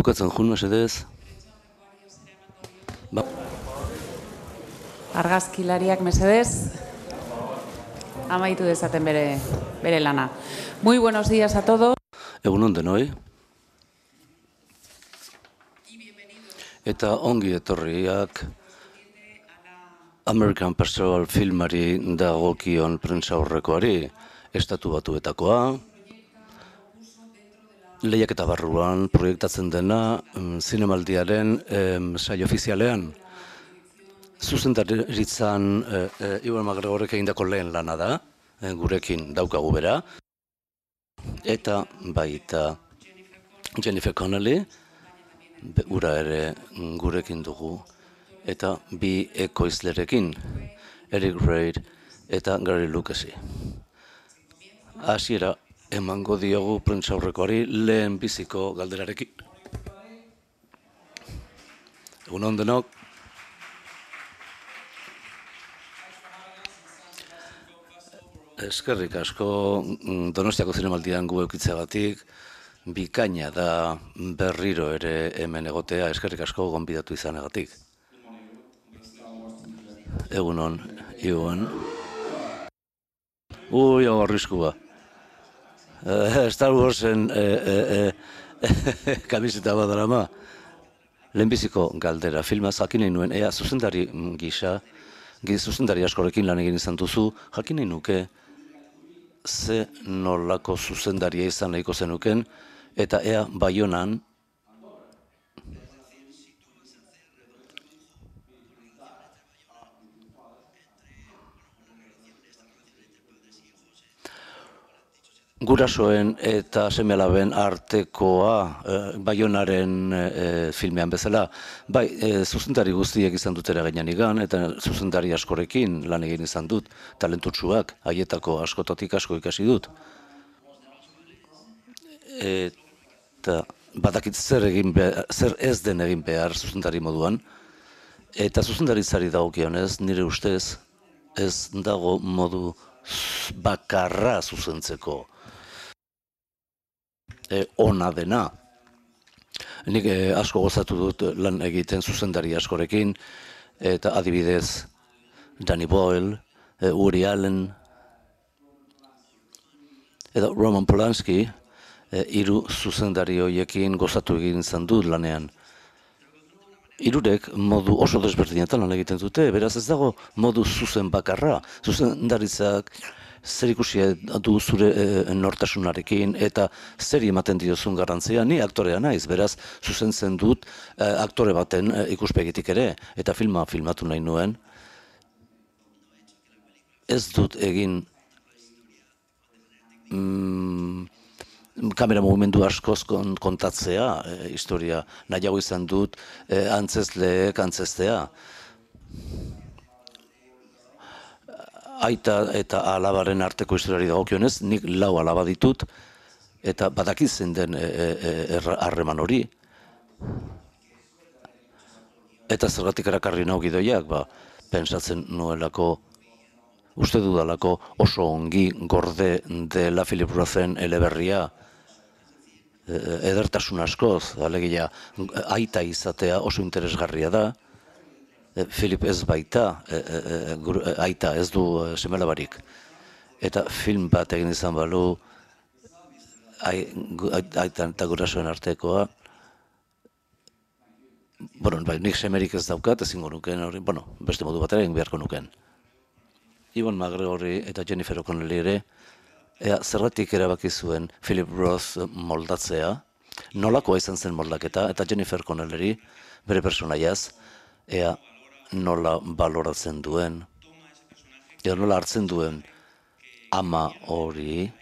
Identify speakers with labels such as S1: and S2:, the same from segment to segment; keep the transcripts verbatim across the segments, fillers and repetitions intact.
S1: Bukatzen jun, mesedez. Ba.
S2: Argazkilariak mesedez. Amaitu dezaten bere, bere lana. Muy buenos días a todos.
S1: Egunon denoi. Eta ongi etorriak American Pastoral filmari dagokion prentsa aurrekoari, Estatu Batuetakoa, lehiaketa barruan proiektatzen dena zinemaldiaren saio ofizialean. Zuzendaritzan Iwan McGregorrek egindako lehen lana da, gurekin daukagu bera, eta baita Jennifer Connelly, ura ere gurekin dugu, eta bi ekoizlerekin, Eric Reid eta Gary Lucasi. Hasiera emango diogu prentsaurrekoari lehen biziko galderarekin. Egunon denok. Eskerrik asko Donostiako zinemaldian gu eukitzeagatik, bikaina da berriro ere hemen egotea, eskerrik asko gonbidatu izanagatik. Egunon, Iwan. Ui, hau arriskua. Star Warsen kamiseta bat darama. Lehenbiziko galdera filmaz jakin nahi nuen, ea zuzendari gisa, zuzendari askorekin lan egin izan duzu, jakin nahi nuke ze nolako zuzendaria izan nahiko zenuken, eta ea Baionan gurasoen eta seme-alaben artekoa Baionaren filmean bezala, bai, zuzendari guztiek izan dut eragina nigan, eta zuzendari askorekin lan egin izan dut, talentutsuak, haietako askotatik asko ikasi dut. Eta badakit zer egin behar, zer ez den egin behar zuzendari moduan, eta zuzendaritzari dagokionez, nire ustez, ez dago modu bakarra zuzentzeko. Ona dena. Nik asko gozatu dut lan egiten zuzendari askorekin, eta adibidez Danny Boyle, Woody Allen, eta Roman Polanski, hiru zuzendari horiekin gozatu egin izan dut lanean. Hirurek modu oso desberdinetan lan egiten dute, beraz ez dago modu zuzen bakarra. Zuzendaritzak zer ikusi du zure nortasunarekin eta zer ematen diozun garrantzia, ni aktorea naiz, beraz zuzentzen dut aktore baten ikuspegitik ere, eta filma filmatu nahi nuen. Ez dut egin kamera mugimendu askoz kontatzea, historia nahiago izan dut antzezleek antzeztea. Aita eta alabaren arteko historiari dagokionez, nik lau alaba ditut, eta badakit zen den harreman hori. Eta zergatik erakarri nau gidoiak, ba, pentsatzen nuelako, uste dudalako oso ongi gorde dela Philip Rothen eleberria, edertasun askoz, alegia, aita izatea oso interesgarria da. Philip ez baita, aita ez du seme-alabarik. Eta film bat egin izan balu, aita eta gurasoen artekoa, bueno, nik semerik ez daukat, ezingo nuken, bueno, beste modu batera egin beharko nuken. Iwan McGregorri eta Jennifer Connelly ere, ea zergatik erabaki zuen Philip Roth moldatzea, nolakoa izan zen moldaketa, eta Jennifer Connelly bere personaiaz, ea nola baloratzen duen, ea nola hartzen duen ama hori,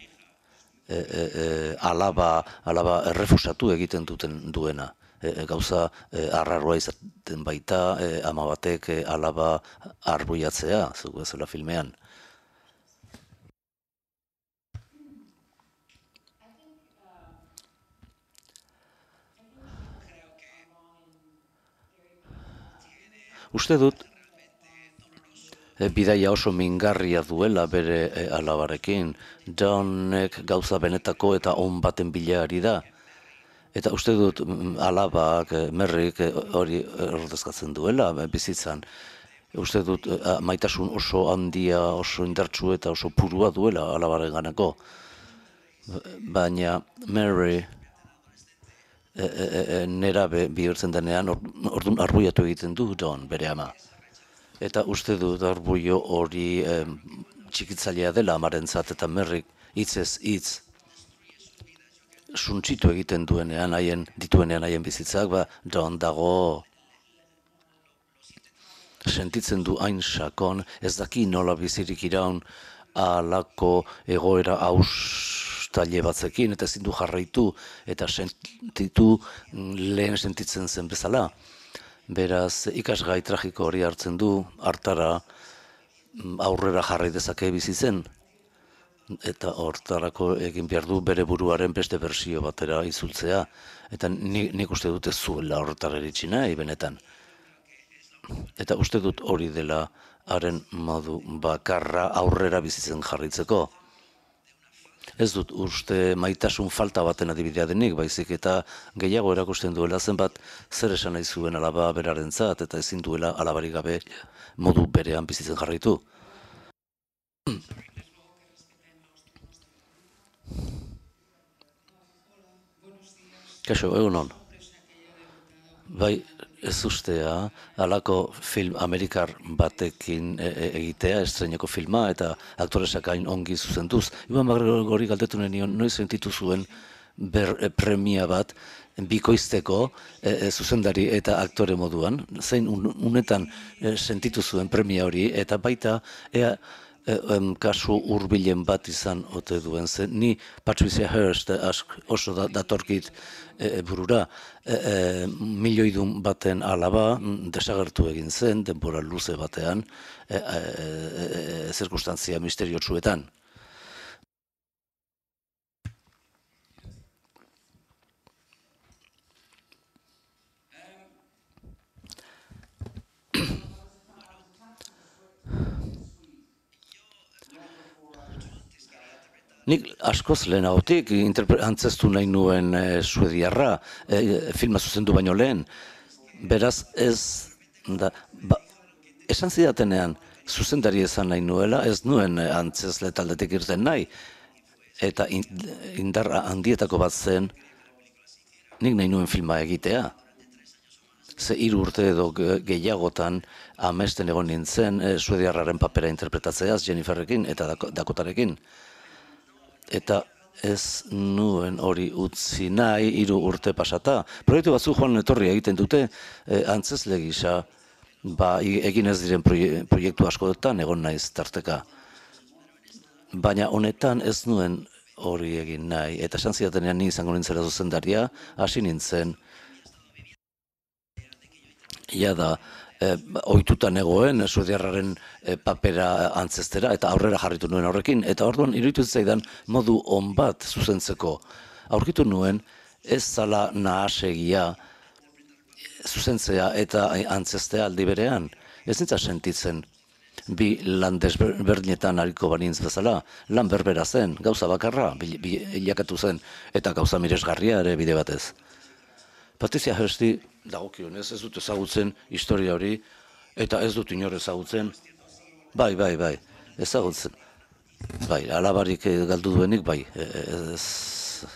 S1: alaba errefusatu egiten duten duena. Gauza arraroa izaten baita, ama batek alaba arbuiatzea, zugu ezela filmean. Uste dut, bidaia oso mingarria duela bere alabarekin, Johnek gauza benetako eta on baten bila ari da, Eta uste dut alabak, merrik hori ordezkatzen duela bizitzan. Uste dut maitasun oso handia, oso indartsu eta oso purua duela alabaren ganako. Baina Mary nerabe bihurtzen denean, orduan arbuiatu egiten du Don bere ama. Eta uste dut arbuio hori txikitzailea dela amarentzat eta merrik hitzez hitz suntsitu egiten duenean haien dituenean haien bizitzak, ba Don dago sentitzen du hain sakon, ez daki nola bizirik iraun halako egoera austaile batzekin, eta ezin du jarraitu eta sentitu lehen sentitzen zen bezala. Beraz, ikasgai tragiko hori hartzen du, hartara aurrera jarrai dezake bizitzen. Eta hortarako egin behar du bere buruaren beste bersio batera izultzea. Eta nik, nik uste dut ez zuela horretara iritsi nahi, benetan. Eta uste dut hori dela haren modu bakarra aurrera bizitzen jarraitzeko. Ez dut uste maitasun falta baten adibidea denik, baizik eta gehiago erakusten duela zenbat zer esan nahi zuen alaba berarentzat eta ezin duela alabarik gabe modu berean bizitzen jarraitu. Kaixo, egunon. Bai, ez ustea, halako film amerikar batekin egitea, estreineko filma, eta aktoresak hain ongi zuzenduz. Iban Bagregori galdetu nion, noiz sentitu zuen ber, premia bat bikoizteko e, zuzendari eta aktore moduan, zein un, unetan e, sentitu zuen premia hori, eta baita ea e, em, kasu hurbilen bat izan ote duen zen. Ni Patricia Hearst oso da, datorkit e, burura, e, e, milioidun baten alaba desagertu egin zen, denbora luze batean, e, e, e, zirkustantzia misteriotsuetan. Nik askoz lehenagotik antzestu nahi nuen e, suediarra, e, filma zuzendu baino lehen. Beraz ez, da, ba, esan zidatenean zuzendari esan nahi nuela, ez nuen antzezle taldetik irten nahi. Eta indarra handietako bat zen, nik nahi nuen filma egitea. Ze hiru urte edo gehiagotan amesten egon nintzen e, suediarraren papera interpretatzeaz Jenniferrekin eta Dakotarekin. Eta ez nuen hori utzi nahi hiru urte pasata. Proiektu batzu joan etorri egiten dute e, antzezle gisa, ba, egin ez diren proiektu askotan egon naiz tarteka. Baina honetan ez nuen hori egin nahi. Eta esan zidatenean ni izango nintzela zuzendaria, hasi nintzen, jada, E, ohitutan egoen suediarraren e, papera antzestera eta aurrera jarritu nuen horrekin, eta orduan iruditu zaidan modu on bat zuzentzeko. Aurkitu nuen ez zala nahasegia zuzentzea eta antzestea aldi berean. Ez nintza sentitzen bi lan desberdinetan ariko banintz bezala, lan berbera zen, gauza bakarra bilakatu zen, eta gauza miresgarria ere bide batez. Patricia Hearsti dagokionez ez dut ezagutzen historia hori, eta ez dut inor ezagutzen, bai, bai, bai, ezagutzen, bai, alabarik galdu duenik, bai, ez...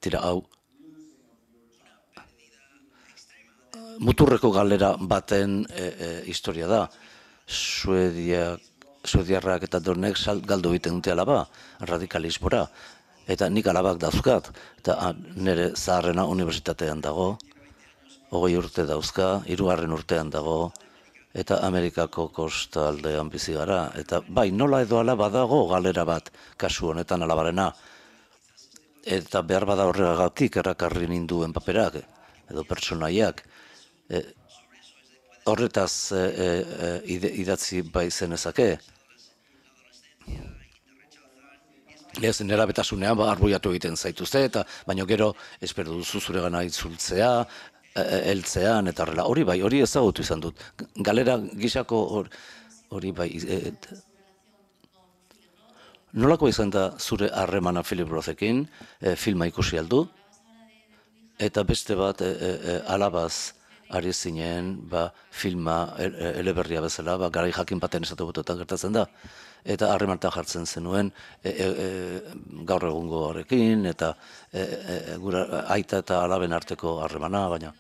S1: Tira, hau, muturreko galera baten e, e, historia da, Suedia, Suediarrak eta Donek galdu egiten dute alaba, radikalismora. Eta nik alabak dauzkat, eta nire zaharrena unibertsitatean dago, hogei urte dauzka, hirugarren urtean dago, eta Amerikako kostaldean bizi gara. Eta bai, nola edo ala badago galera bat kasu honetan alabarena. Eta behar bada horregagatik errakarri ninduen paperak, edo pertsonaiak. E, horretaz e, e, idatzi bai zenezake. Ez nera betasunean ba, arboiatu egiten zaituzte, eta baino gero espero duzu zure gana itzultzea, heltzean, eta horrela. Hori bai, hori ezagutu izan dut. Galera gisako hori bai... Et, Nolako izan da zure harremana Philip Rothekin, e, filma ikusi aldu, eta beste bat e, e, e, alabaz ari zinen, ba, filma e, e, eleberria bezala, ba, garai jakin baten esatu bototan gertatzen da, eta harremantan jartzen zenuen e, e, e, gaur egungo horrekin, eta e, e, gura, aita eta alaben arteko harremana, baina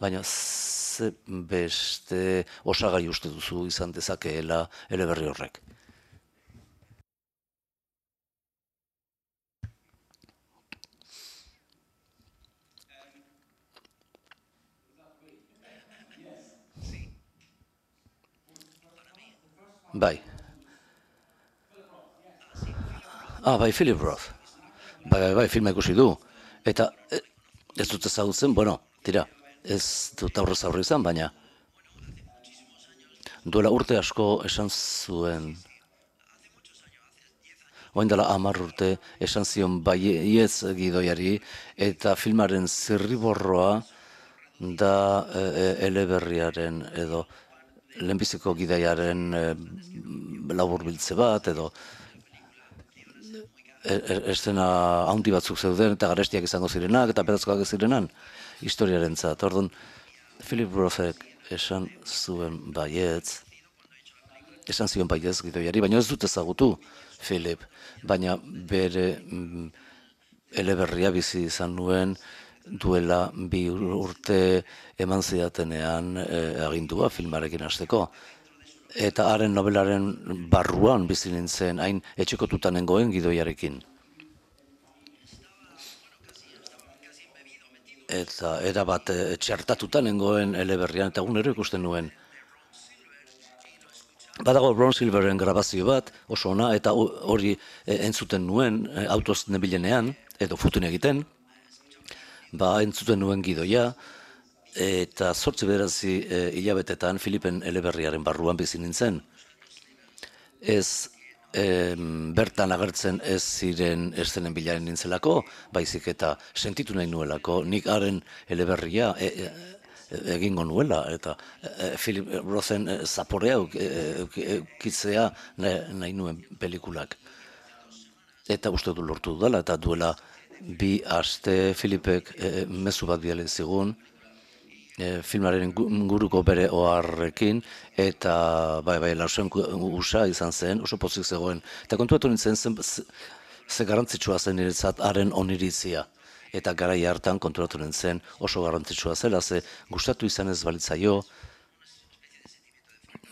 S1: baina ze beste osagai uste duzu izan dezakeela eleberri horrek. Bai. Ah, bai, Philip Roth. Bai, bai, bai, filma ikusi du. Eta e, ez dut ezagutzen, bueno, tira, ez dut aurrez aurre izan, baina duela urte asko esan zuen, orain dela hamar urte esan zion baietz gidoiari, eta filmaren zirriborroa da e, e, eleberriaren edo lehenbiziko gidaiaren e, laburbiltze bat, edo estena handi batzuk zeuden eta garestiak izango zirenak eta pedazkoak zirenan historiarentzat. Orduan, Philip Rothek esan zuen baietz, esan zion baietz gidoiari, baina ez dut ezagutu Philip, baina bere mm, eleberria bizi izan nuen duela bi urte eman zidatenean e, agindua filmarekin hasteko. Eta haren nobelaren barruan bizi nintzen, hain etxekotuta nengoen gidoiarekin. Eta erabat e, txertatuta nengoen eleberrian, eta egunero ikusten nuen. Badago Ron Silveren grabazio bat, oso ona, eta hori e, entzuten nuen e, autoz nebilenean, edo futun egiten, ba entzuten nuen gidoia, eta zortzi bederatzi e, hilabetetan Filipen eleberriaren barruan bizi nintzen. Ez e, bertan agertzen ez ziren eszenen bilaren nintzelako, baizik eta sentitu nahi nuelako, nik haren eleberria e, e, egingo nuela, eta e, Philip Rothen e, zaporea eukitzea nahi, nahi nuen pelikulak. Eta uste du lortu dudala, eta duela bi aste Filipek e, mezu bat bidali zigun, E, filmaren inguruko bere oharrekin, eta bai, bai, lausen usa izan zen, oso pozik zegoen. Eta kontuatu nintzen zen, ze, ze garrantzitsua zen niretzat haren oniritzia. Eta garai hartan konturatu nintzen oso garrantzitsua zela, ze gustatu izan ez balitzaio,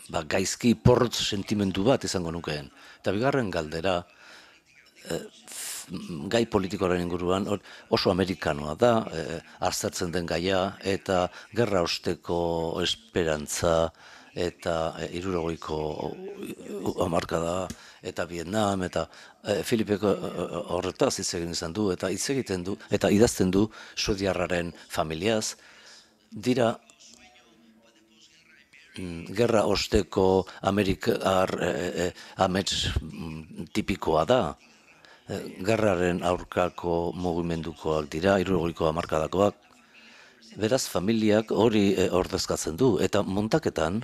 S1: ba, gaizki porrot sentimendu bat izango nukeen. Eta bigarren galdera, e, gai politikoaren inguruan oso amerikanoa da, e, aztertzen den gaia, eta gerra osteko esperantza, eta e, hirurogeiko hamarkada, eta Vietnam, eta e, Filipeko horretaz hitz egin izan du, eta hitz egiten du, eta idazten du suediarraren familiaz, dira mm, gerra osteko amerikar e, e, amets mm, tipikoa da, gerraren aurkako mugimendukoak dira, hirurogeiko hamarkadakoak. Beraz, familiak hori e, ordezkatzen du, eta montaketan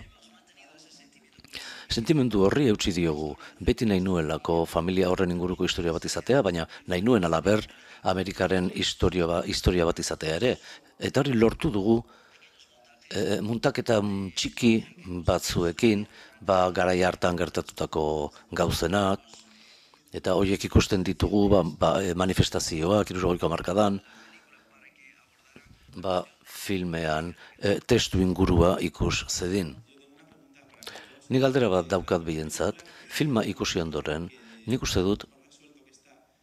S1: sentimendu horri eutsi diogu. Beti nahi nuelako familia horren inguruko historia bat izatea, baina nahi nuen alaber Amerikaren historia, ba, historia bat izatea ere. Eta hori lortu dugu e, muntaketa txiki batzuekin, ba, garai hartan gertatutako gauzenak, eta horiek ikusten ditugu ba, ba, manifestazioak, hirurogeiko hamarkadan, ba, filmean e, testu ingurua ikus zedin. Nik galdera bat daukat bientzat, filma ikusi ondoren, nik uste dut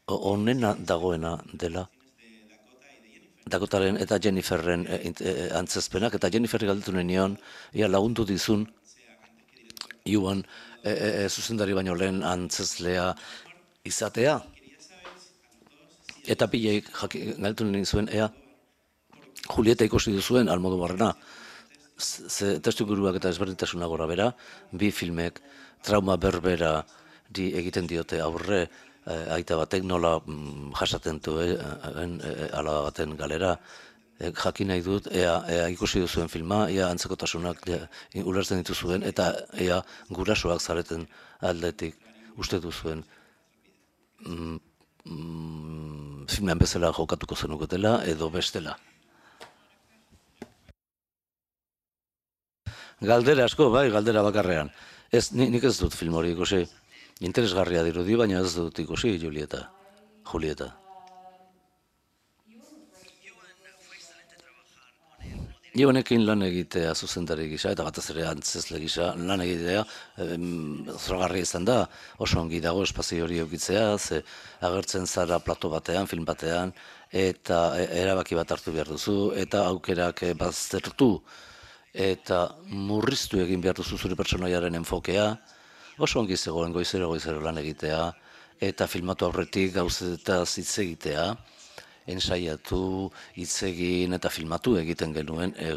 S1: onena dagoena dela Dakotaren eta Jenniferren e, e, antzezpenak, eta Jenniferri galdetu nion, ia lagundu dizun, Iuan e, e, e, zuzendari baino lehen antzezlea izatea, eta pileik galdetu nien zuen, ea, Julieta ikusi duzuen Almodovarrena, ze testu inguruak eta ezberdintasuna gora bera, bi filmek trauma berbera di egiten diote aurre, eh, aita batek nola mm, jasaten duen eh, alaba baten galera, E, jakin nahi dut, ea, ea ikusi duzuen filma, ea antzekotasunak ea, ulertzen dituzuen, eta ea gurasoak zareten aldetik uste duzuen mm, mm, filmean bezala jokatuko zenuketela edo bestela. Galdera asko, bai, galdera bakarrean. Ez, ni- nik ez dut film hori ikusi. Interesgarria dirudi, baina ez dut ikusi Julieta. Julieta. Ni honekin lan egitea zuzendari gisa, eta batez ere antzezle gisa, lan egitea em, zoragarria izan da, oso ongi dago espazio hori eukitzea, ze agertzen zara plato batean, film batean, eta e- erabaki bat hartu behar duzu, eta aukerak eh, baztertu, eta murriztu egin behar duzu zure pertsonaiaren enfokea, oso ongi zegoen goizero goizero lan egitea, eta filmatu aurretik gauzetaz hitz egitea, ensaiatu, hitz egin eta filmatu egiten genuen, e,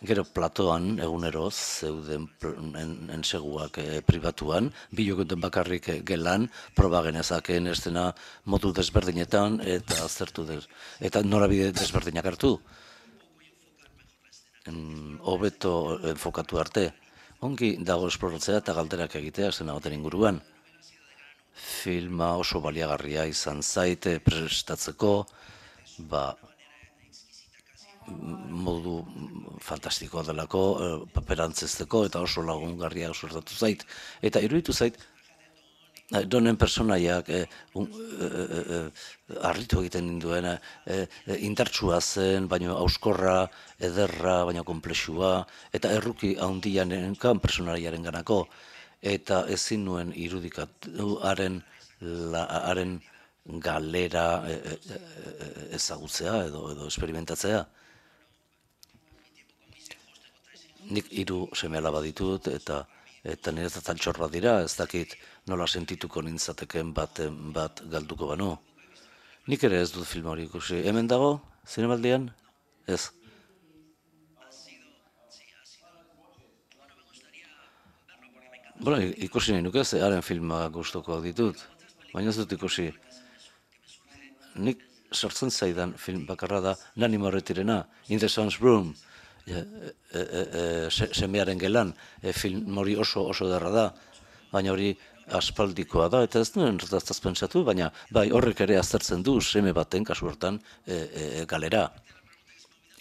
S1: gero platoan egunero zeuden pl- en- enseguak e, pribatuan, bi jokuten bakarrik e, gelan, proba genezakeen estena modu desberdinetan eta aztertu des, eta norabide desberdinak hartu. Mm, hobeto enfokatu arte. Ongi dago esploratzea eta galderak egitea zena baten inguruan. Filma oso baliagarria izan zaite prestatzeko, ba, modu fantastikoa delako, eh, paperantzezteko eta oso lagungarria suertatu zait. Eta iruditu zait, eh, donen personaiak eh, un, eh, eh, harritu egiten ninduen, eh, eh, indartsua zen, baina auskorra, ederra, baina komplexua, eta erruki handian enkan personaiaren ganako, eta ezin nuen irudikatu haren, la, haren galera eh, eh, eh, ezagutzea edo, edo esperimentatzea. Nik hiru seme-alaba ditut eta eta niretzat altxor bat dira, ez dakit nola sentituko nintzateken bat, bat galduko banu. Nik ere ez dut film hori ikusi. Hemen dago, zinemaldian? Ez. Bueno, i- ikusi nahi nuke, ze haren filmak gustukoak ditut, baina ez dut ikusi. Nik sortzen zaidan film bakarra da Nani Moretirena, In the Sun's Room, e, e, e, e, se- semearen gelan, e, film hori oso oso derra da, baina hori aspaldikoa da, eta ez nuen hortaz pentsatu, baina bai horrek ere aztertzen du seme baten kasu hortan e, e, galera.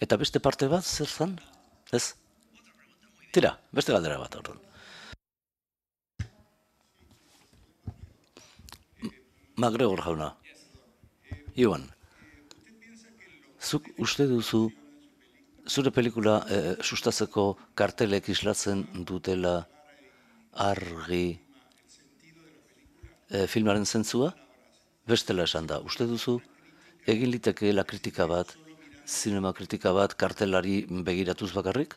S1: Eta beste parte bat zer zan? Ez? Tira, beste galdera bat horren. MacGregor jauna, Iwan, zuk uste duzu zure pelikula eh, sustatzeko kartelek islatzen dutela argi eh, filmaren zentzua? Bestela esan da, uste duzu egin litekeela kritika bat, zinema kritika bat kartelari begiratuz bakarrik?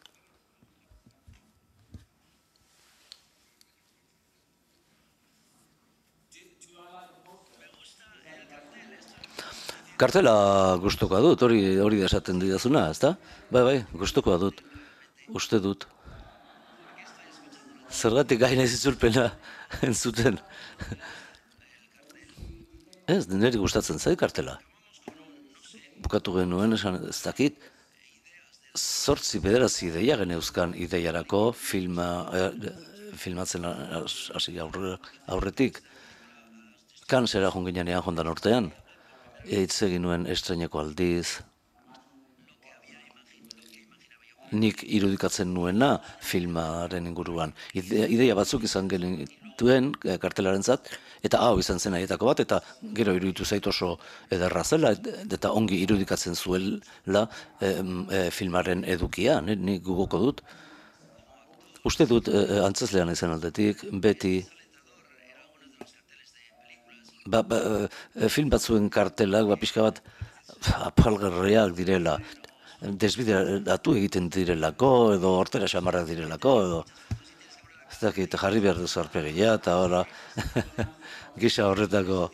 S1: Kartela gustukoa dut, hori hori da esaten didazuna, ezta? Bai, bai, gustukoa dut. Uste dut. Zergatik gaina itzulpena entzuten. Ez, niri gustatzen zait kartela. Bukatu genuen esan ez dakit, zortzi bederatzi ideia geneuzkan ideiarako filma, eh, filmatzen has- hasi aurre, aurretik. Kansera joan ginean jondan urtean. Hitz egin nuen estreineko aldiz, nik irudikatzen nuena filmaren inguruan. Ide- Ideia batzuk izan genituen eh, kartelarentzat, eta hau izan zen haietako bat, eta gero iruditu zait oso ederra zela, et- eta ongi irudikatzen zuela em, eh, filmaren edukia, ni- nik gugoko dut. Uste dut eh, antzezlean izan aldetik, beti ba, ba, eh, film batzuen kartelak, ba, pixka bat apalgarriak direla, desbideratu egiten direlako, edo hortera xamarrak direlako, edo ez dakit, jarri behar duzu arpegia, eta ora, gisa horretako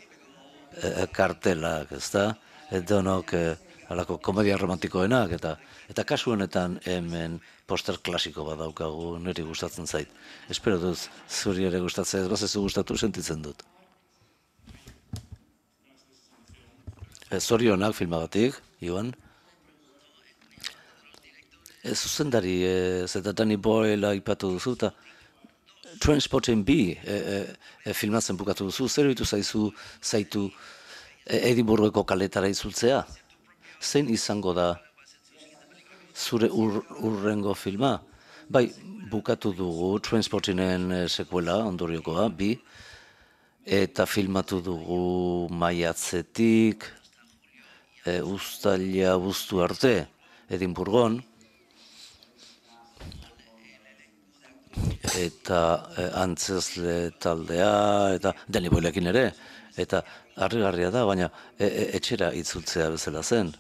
S1: eh, kartelak, ezta? Edonok eh, halako komedia romantikoenak, eta eta kasu honetan hemen poster klasiko bat daukagu, niri gustatzen zait. Espero dut zuri ere gustatzea, ez bazezu gustatu sentitzen dut. Eh, Zorionak filmagatik, Iwan. E, zuzendari, e, zeta Danny Boyle aipatu duzu, eta Trainspotting B e, e, e, filmatzen bukatu duzu, zer ditu zaizu, zaitu e, Edinburgheko kaletara itzultzea? Zein izango da zure ur, urrengo filma? Bai, bukatu dugu Trainspotingen e, sekuela, ondoriokoa, bi, eta filmatu dugu maiatzetik, e, uztaila buztu arte, Edinburgon, eta e, antzezle taldea, eta Danny Boylekin ere, eta harrigarria da, baina e, e, etxera itzultzea bezala zen.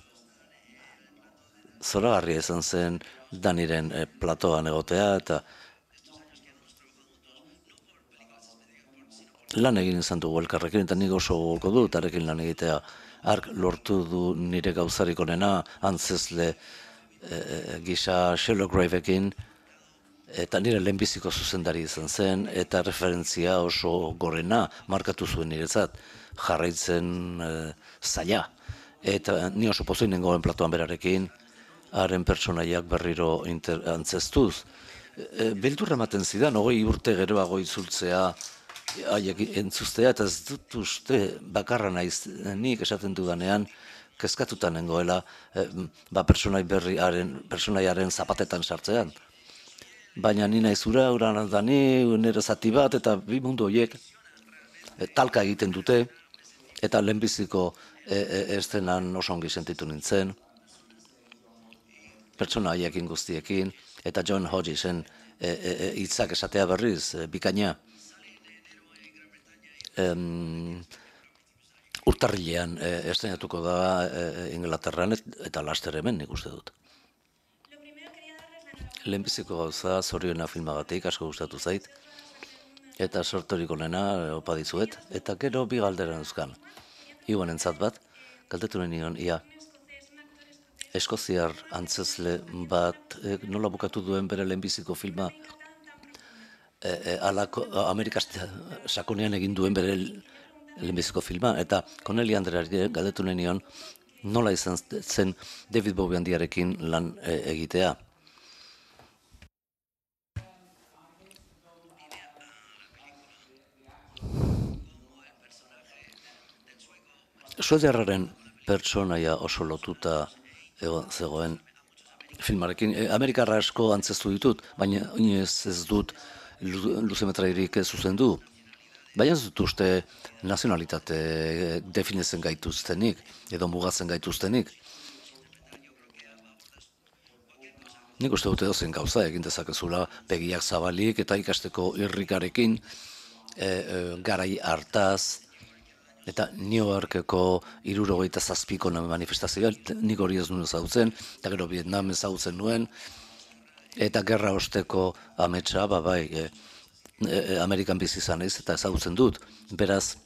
S1: Zoragarria izan zen Daniren e, platoan egotea, eta lan egin izan dugu elkarrekin, eta nik oso gogoko dut arekin lan egitea. Ark lortu du nire gauzarik onena, antzezle e, gisa Sherlock Graveekin, eta nire lehenbiziko zuzendari izan zen, eta referentzia oso gorena markatu zuen niretzat, jarraitzen e, zaila. Eta ni oso pozoin nengoen platoan berarekin, haren pertsonaiak berriro inter, antzestuz. E, Beldurra ematen zidan, hogei urte geroago itzultzea, haiek entzustea, eta ez dut uste bakarra naiz nik esaten dudanean, kezkatuta nengoela, e, ba pertsonai berriaren, pertsonaiaren zapatetan sartzean. Baina ni naiz ura, ura da ni, nire zati bat, eta bi mundu horiek e, talka egiten dute, eta lehenbiziko e, e, estenan oso ongi sentitu nintzen, pertsona haiekin guztiekin, eta John Hodgesen e, e, e, hitzak esatea berriz, e, bikaina. Em, urtarrilean e, estrenatuko da e, Inglaterran, eta laster hemen nik uste dut. Lehenbiziko gauza zoriona filmagatik asko gustatu zait, eta sortorik onena opa dizuet, eta gero bi galdera euskan. Igoan entzat bat, galdetu nion, ia, eskoziar antzezle bat e, nola bukatu duen bere lehenbiziko filma e, e, alako, Amerikaz sakonean egin duen bere lehenbiziko filma, eta Connelly Andreari galdetu nion nola izan zen David Bowie handiarekin lan e, egitea. Suediarraren pertsonaia oso lotuta egon zegoen filmarekin. E, Amerikarra asko antzestu ditut, baina inoiz ez dut luzemetrairik zuzendu. Baina ez dut uste nazionalitate definitzen gaituztenik, edo mugatzen gaituztenik. Nik uste dute dozen gauza egin dezakezula begiak zabalik eta ikasteko irrikarekin, e, e, garai hartaz, eta New Yorkeko hirurogeita zazpiko manifestazioa, nik hori ez nuen ezagutzen, eta gero Vietnam ezagutzen nuen, eta gerra osteko ametsa, ba bai, e, e, Amerikan bizi izan naiz, eta ezagutzen dut. Beraz,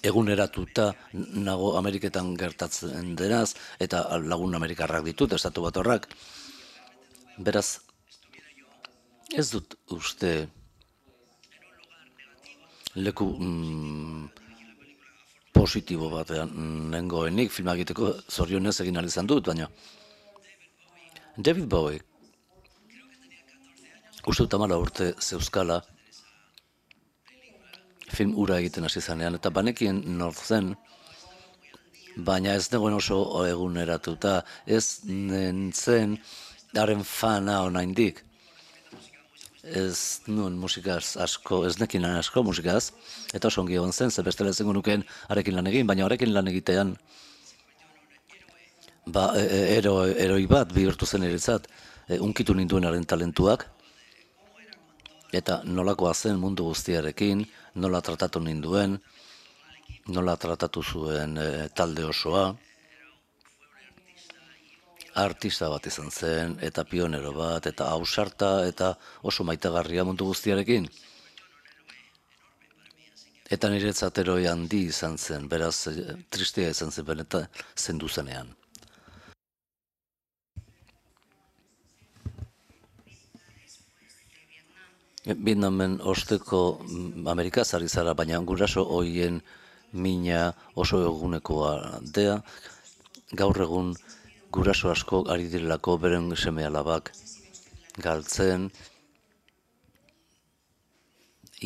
S1: eguneratuta nago Ameriketan gertatzen denaz, eta lagun Amerikarrak ditut, estatu bat horrak. Beraz, ez dut uste leku mm, positibo batean nengoenik filma egiteko zorionez egin ahal izan dut, baina David Bowie uste dut hamar urte zeuzkala film ura egiten hasi zanean, eta banekien nor zen, baina ez negoen oso eguneratuta, ez nintzen haren fana oraindik. Ez nuen musikaz asko, ez nekin asko musikaz, eta oso ongi egon zen, ze bestela ezingo nukeen arekin lan egin, baina arekin lan egitean ba, e, ero, eroi bat bihurtu zen eretzat, e, unkitu ninduen haren talentuak, eta nolakoa zen mundu guztiarekin, nola tratatu ninduen, nola tratatu zuen e, talde osoa, artista bat izan zen, eta pionero bat, eta ausarta, eta oso maitagarria mundu guztiarekin. Eta niretzat eroi handi izan zen, beraz tristea izan zen, eta zendu zenean. Vietnamen osteko Amerikaz ari zara, baina guraso hoien mina oso egunekoa dea, gaur egun guraso asko ari direlako beren seme alabak galtzen,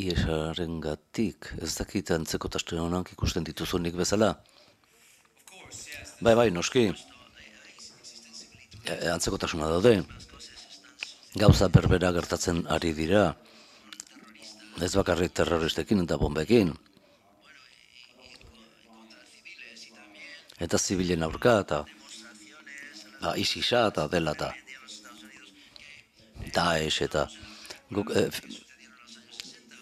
S1: iesarengatik, ez dakit antzekotasun honak ikusten dituzunik bezala. Bai, bai, noski, e, antzekotasuna daude, gauza berbera gertatzen ari dira, ez bakarrik terroristekin eta bombekin, eta zibilen aurka, eta ba, ISISa eta dela eta Daesh eta guk, e,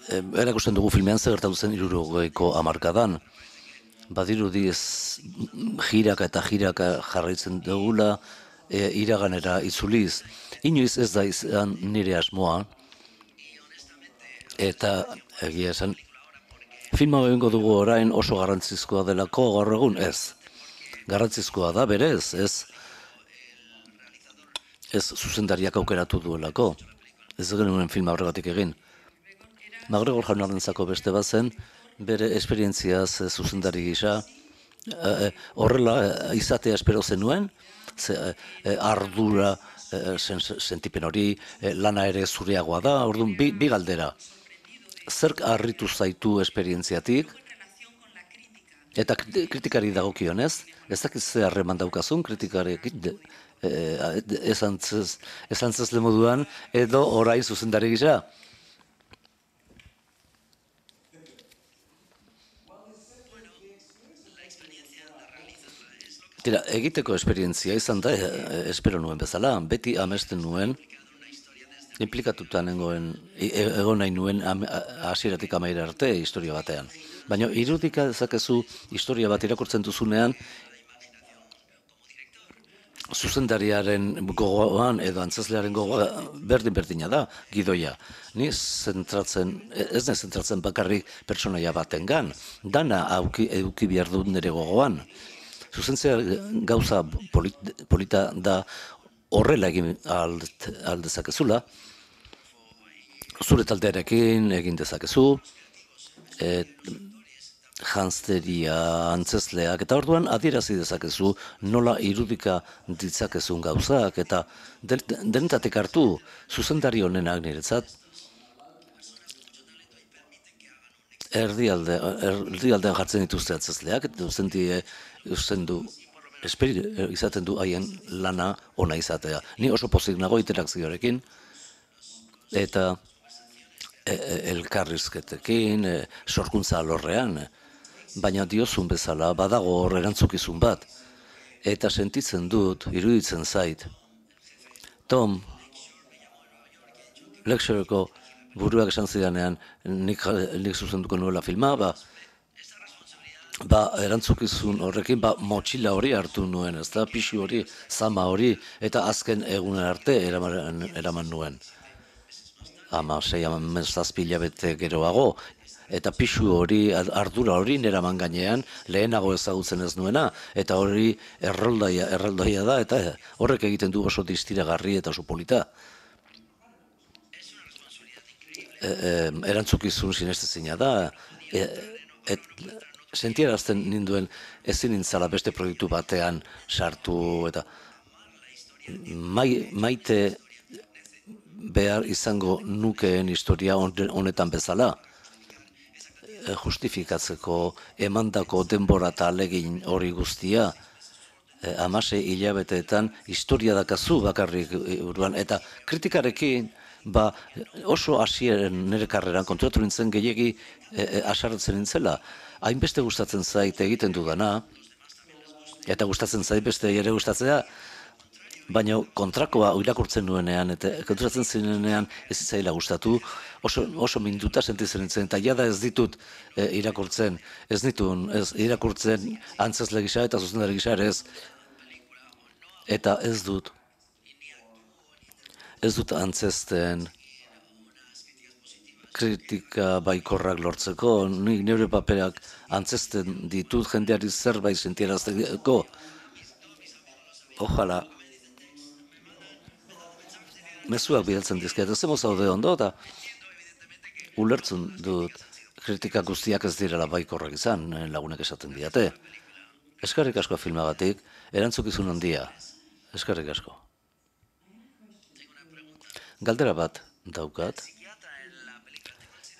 S1: e, erakusten dugu filmean zer gertatu zen hirurogeiko hamarkadan. Badirudi ez jiraka eta jiraka jarraitzen dugula e, iraganera itzuliz. Inoiz ez da izan nire asmoa, eta egia esan filma egingo dugu orain oso garrantzizkoa delako gaur egun ez. Garrantzizkoa da berez, ez ez zuzendariak aukeratu duelako. Ez genuen filma horregatik egin. MacGregor jaunarentzako beste bat zen, bere esperientziaz e, zuzendari gisa, e, e, horrela e, izatea espero zenuen, ze, e, ardura, e, sen, sentipen hori, e, lana ere zureagoa da, orduan bi, bi galdera. Zerk harritu zaitu esperientziatik, eta kritikari dagokionez, ez dakit ze harreman daukazun kritikarekin, ez antzez moduan, edo orain zuzendari gisa. Tira, egiteko esperientzia izan da, e, espero nuen bezala, beti amesten nuen, implikatuta nengoen, egon nahi nuen hasieratik amaira arte historia batean. Baina irudika dezakezu historia bat irakurtzen duzunean, zuzendariaren gogoan edo antzezlearen gogoa berdin-berdina da, gidoia. Ni zentratzen, ez ne zentratzen bakarrik pertsonaia batengan, dana auki, eduki behar dut nire gogoan. Zuzentzea gauza polita da horrela egin aldezakezula, zure taldearekin egin dezakezu, et, janzteria, antzezleak, eta orduan adierazi dezakezu nola irudika ditzakezun gauzak, eta denetatik hartu zuzendari honenak niretzat, erdialde, erdialdean jartzen dituzte antzezleak, eta usten du, esperi, izaten du haien lana ona izatea. Ni oso pozik nago interakzioarekin, eta e, e, elkarrizketekin, e, sorkuntza alorrean, baina diozun bezala badago hor erantzukizun bat, eta sentitzen dut, iruditzen zait, Tom, Lectureko buruak esan zidanean, nik, nik zuzenduko nuela filma, ba, ba erantzukizun horrekin, ba motxila hori hartu nuen, ez da, pixu hori, zama hori, eta azken egunen arte eraman, eraman nuen. Ama, sei, ama, zazpi hilabete geroago, eta pixu hori, ardura hori neraman gainean, lehenago ezagutzen ez nuena, eta hori erroldaia, erroldaia da, eta horrek egiten du oso distiragarri eta oso polita. E, e, erantzukizun sinestezina da, e, et, sentierazten ninduen ezin nintzala beste proiektu batean sartu, eta mai, maite behar izango nukeen historia honetan bezala, justifikatzeko emandako denbora eta alegin hori guztia, hamasei hilabeteetan historia dakazu bakarrik buruan, eta kritikarekin ba, oso hasieren nire karreran konturatu nintzen gehiegi e, asarretzen nintzela. Hainbeste gustatzen zait egiten dudana, eta gustatzen zait beste ere gustatzea, baina kontrakoa irakurtzen nuenean, eta konturatzen zinenean ez zitzaila gustatu, oso, oso minduta sentitzen nintzen, eta jada ez ditut e, irakurtzen, ez ditun, ez irakurtzen antzezle gisa eta zuzendari gisa ere ez, eta ez dut, ez dut antzezten kritika baikorrak lortzeko, nik nire paperak antzezten ditut jendeari zerbait sentierazteko, ojala, mezuak bidaltzen dizkiat, ez emoz zaude ondo, eta ulertzen dut kritika guztiak ez direla baikorrak izan, lagunek esaten diate. Eskarrik asko filmagatik, erantzukizun handia. Eskerrik asko. Galdera bat daukat.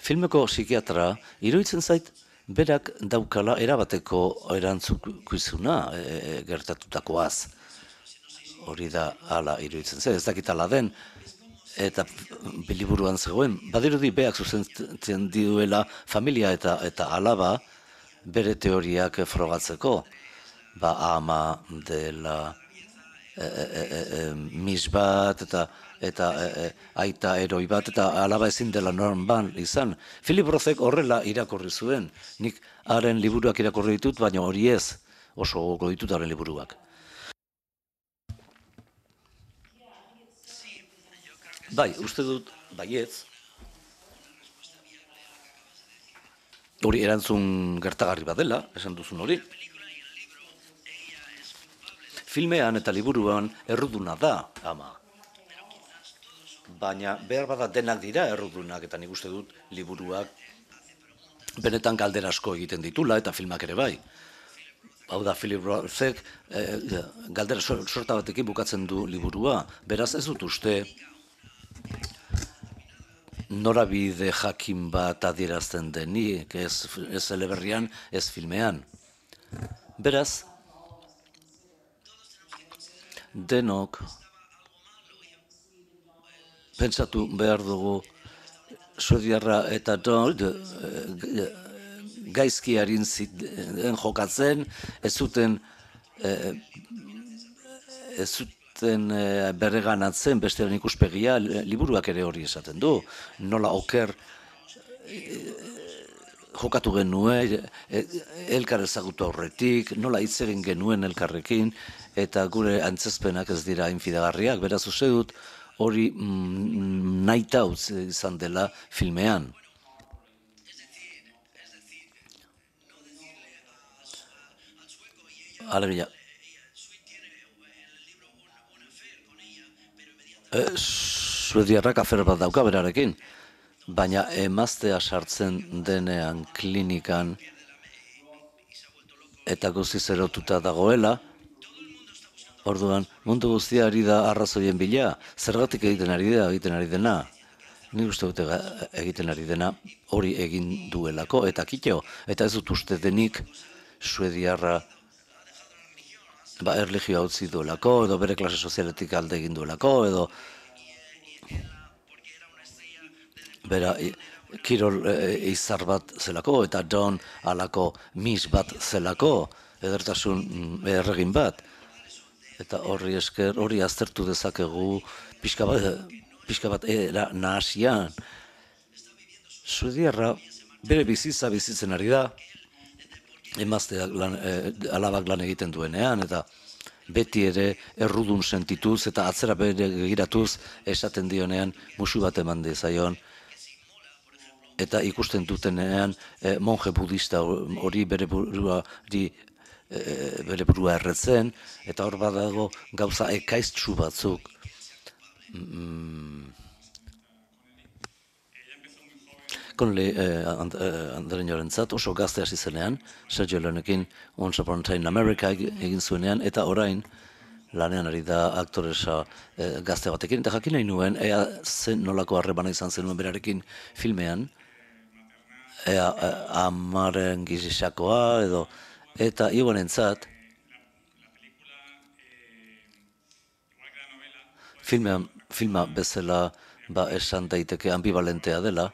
S1: Filmeko psikiatra iruditzen zait berak daukala erabateko erantzukizuna e, gertatutakoaz. Hori da hala iruditzen zait, ez dakit hala den, eta liburuan zegoen. Badirudi beak zuzentzen duela familia eta eta alaba bere teoriak frogatzeko. Ba ama dela e, e, e, e, mis bat eta eta e, e, aita eroi bat eta alaba ezin dela normal izan. Philip Rothek horrela irakurri zuen. Nik haren liburuak irakurri ditut, baina hori ez oso gogo ditut haren liburuak. Bai, uste dut, baietz, hori erantzun gertagarri bat dela, esan duzun hori. Filmean eta liburuan erruduna da, ama. Baina behar bada denak dira errudunak, eta nik uste dut liburuak benetan galdera asko egiten ditula, eta filmak ere bai. Hau da, Philip Rothek eh, galdera sorta batekin bukatzen du liburua. Beraz ez dut uste norabide jakin bat adierazten denik, ez, ez eleberrian, ez filmean. Beraz, denok pentsatu behar dugu suediarra eta Donald gaizki harin ziten jokatzen, ez zuten ez zuten berreganatzen bestearen ikuspegia, liburuak ere hori esaten du, nola oker jokatu genuen, elkar ezagutu aurretik, nola hitz egin genuen elkarrekin, eta gure antzezpenak ez dira infidagarriak, beraz uste dut hori mm, nahita utzi izan dela filmean. Alegia. E, Suediarrak afer bat dauka berarekin, baina emaztea sartzen denean klinikan eta guztiz erotuta dagoela, orduan, mundu guztia ari da arrazoien bila, zergatik egiten ari da, egiten ari dena. Ni uste dute egiten ari dena hori egin duelako, eta kitxo, eta ez dut uste denik suediarra ba, erligioa utzi duelako, edo bere klase sozialetik alde egin duelako, edo bera kirol e, izar bat zelako, eta Don alako mis bat zelako, edertasun erregin bat. Eta horri esker, hori aztertu dezakegu pixka bat, pixka bat era nahasian. Suediarra bere bizitza bizitzen ari da, emazteak lan, e, alabak lan egiten duenean, eta beti ere errudun sentituz eta atzera bere giratuz esaten dionean musu bat eman dezaion. Eta ikusten dutenean e, monje budista hori bere buruari E, bere burua erretzen, eta hor badago gauza ekaiztsu batzuk. Mm. Connelly eh, and, eh, andereñorentzat oso gazte hasi zenean, Sergio Leonekin Once Upon a Time in America egin zuenean, eta orain lanean ari da aktoresa eh, gazte batekin, eta jakin nahi nuen, ea zen nolako harremana izan zenuen berarekin filmean, ea eh, amaren gizisakoa, edo eta iguanentzat filma, filma bezala ba, esan daiteke ambivalentea dela,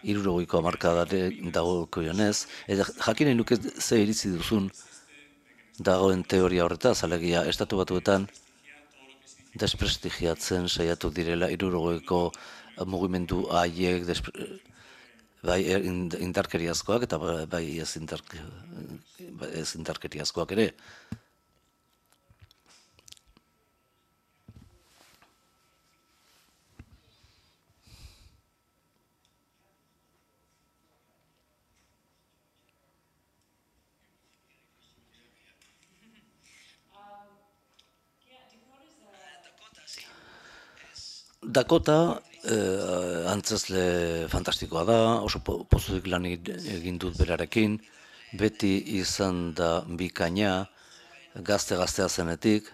S1: hirurogeiko hamarkadare dagoko jonez, eta jakinen nuke ze iritzi duzun dagoen teoria horretaz, alegia estatu batuetan desprestigiatzen saiatu direla hirurogeiko mugimendu haiek bai indarkeriazkoak eta bai ez, indark, ez indarkeriazkoak ere. Dakota eh, antzezle fantastikoa da, oso pozudik lan egin dut berarekin, beti izan da bikaina, gazte-gaztea zenetik,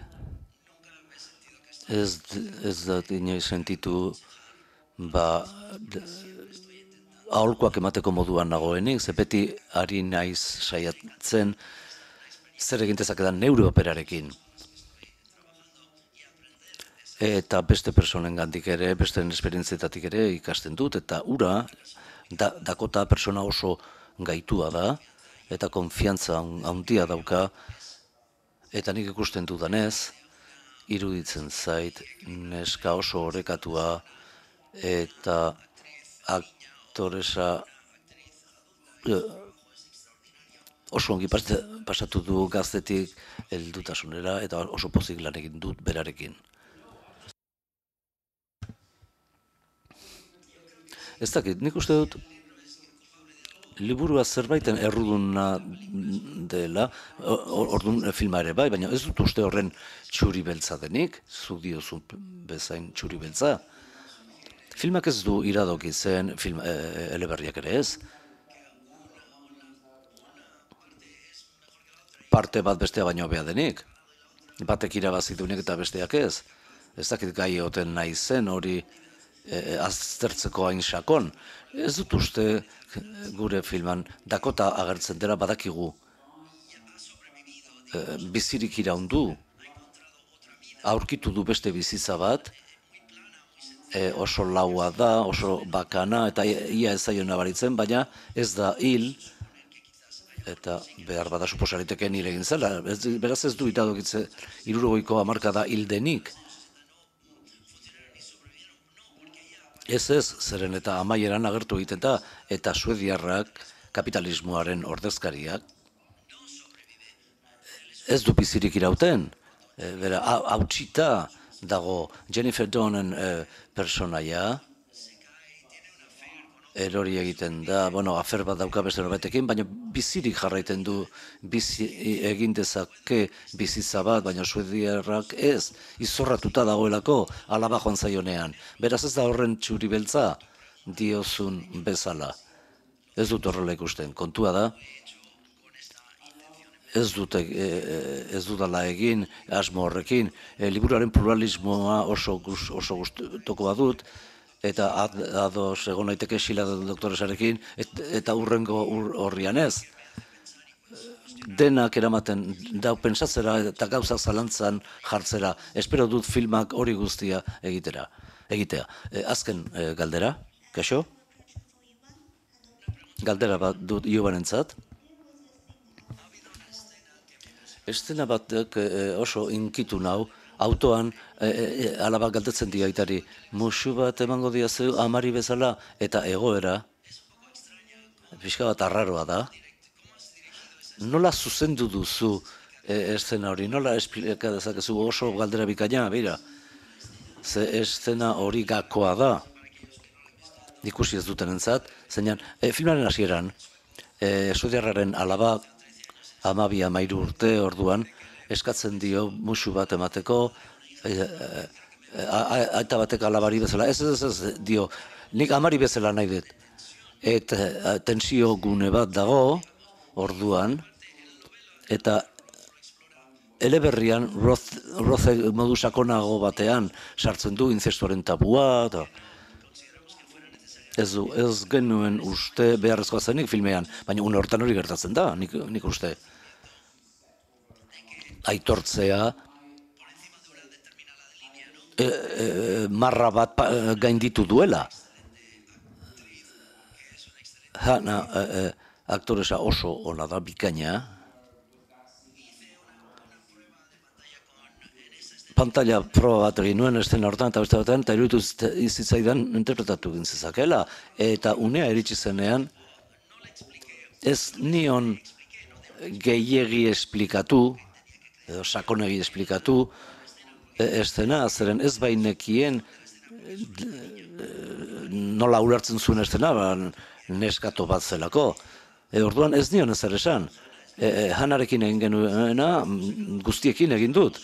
S1: Ez, ez da inoiz sentitu, ba, aholkoak emateko moduan nagoenik, ze beti ari naiz saiatzen zer egintezakedan neure operarekin. Eta beste personen gandik ere, beste esperientzietatik ere ikasten dut, eta ura, da, Dakota persona oso gaitua da, eta konfiantza handia dauka, eta nik ikusten dudanez, iruditzen zait, neska oso orekatua, eta aktoresa oso ongi pasatu du gaztetik heldutasunera, eta oso pozik lan egin dut berarekin. Ez dakit, nik uste dut, liburua zerbaiten erruduna dela, orduan filma ere bai, baina ez dut uste horren txuri beltza denik, zuk diozun bezain txuri beltza. Filmak ez du iradoki zen, film, e, eleberriak ere ez. Parte bat bestea baino hobea denik. Batek irabazidunek eta besteak ez. Ez dakit gai oten nahi zen hori e, aztertzeko hain sakon. Ez dut uste gure filman Dakota agertzen dela badakigu e, bizirik iraundu, aurkitu du beste bizitza bat, e, oso laua da, oso bakana, eta ia ez zaio nabaritzen, baina ez da hil, eta behar bada suposariteken hil egin zela. Ez, beraz ez du itadokitze hirurogeiko hamarkada hil denik. Ez ez, zeren eta amaieran agertu egiten da, eta suediarrak, kapitalismoaren ordezkariak, ez du bizirik irauten. E, bera, hautsita dago Jennifer Donen e, personaia, erori egiten da, bueno, afer bat dauka beste norbaitekin, baina bizirik jarraiten du, bizi egin dezake bizitza bat, baina suediarrak ez, izorratuta dagoelako alaba joan zaionean. Beraz ez da horren txuri beltza diozun bezala. Ez dut horrela ikusten. Kontua da, ez dut ez dudala egin asmo horrekin. E, liburuaren pluralismoa oso oso gustukoa dut, eta ados egon naiteke Xila doktoresarekin, et, eta urrengo horrian ez. Denak eramaten dau pentsatzera eta gauza zalantzan jartzera. Espero dut filmak hori guztia egitera, egitea. E, azken e, galdera, kaixo? Galdera bat dut Iobanentzat. Estena batek e, oso inkitu nau, autoan, e, e, alaba galdetzen di aitari, musu bat emango diazu amari bezala, eta egoera, pixka bat arraroa da. Nola zuzendu duzu e, eszena hori, nola esplika dezakezu oso galdera bikaina, bera? Ze eszena hori gakoa da, ikusi ez duten entzat, zeinan, e, filmaren hasieran, e, suediarraren alaba, amabi amairu urte orduan, eskatzen dio musu bat emateko, aita batek alabari bezala, ez ez ez dio, nik amari bezala nahi dut. Eta tensio gune bat dago, orduan, eta eleberrian, roze modu sakonago batean, sartzen du inzestuaren tabua, eta ez du, ez genuen uste beharrezkoa zenik filmean, baina une hortan hori gertatzen da, nik, nik uste. Aitortzea, e, e, marra bat pa, gainditu duela. Hana, e, e, aktoresa oso ona da, bikaina. Pantalla proba bat egin nuen estena hortan eta beste batean, eta iruditu izitzaidan interpretatu gintzezakela. Eta unea iritsi zenean, ez nion gehiegi esplikatu, edo sakonegi esplikatu, estena, zeren ez bainekien nola ulertzen zuen estena, ba, neskato bat zelako. E, orduan ez nion ezer esan. E, e, Hanarekin egin genuena, guztiekin egin dut.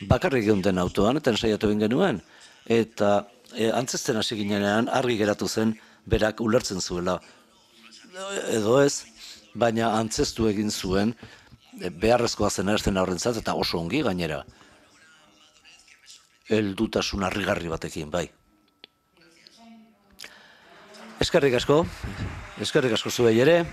S1: Bakarrik egon den autoan, eta ensaiatu egin genuen. Eta e, antzesten hasi ginean argi geratu zen, berak ulertzen zuela. Edo ez, baina antzestu egin zuen, beharrezkoa zena estena horrentzat, eta oso ongi gainera. heldutasun harrigarri batekin, bai. Eskerrik asko, eskerrik asko zuei ere.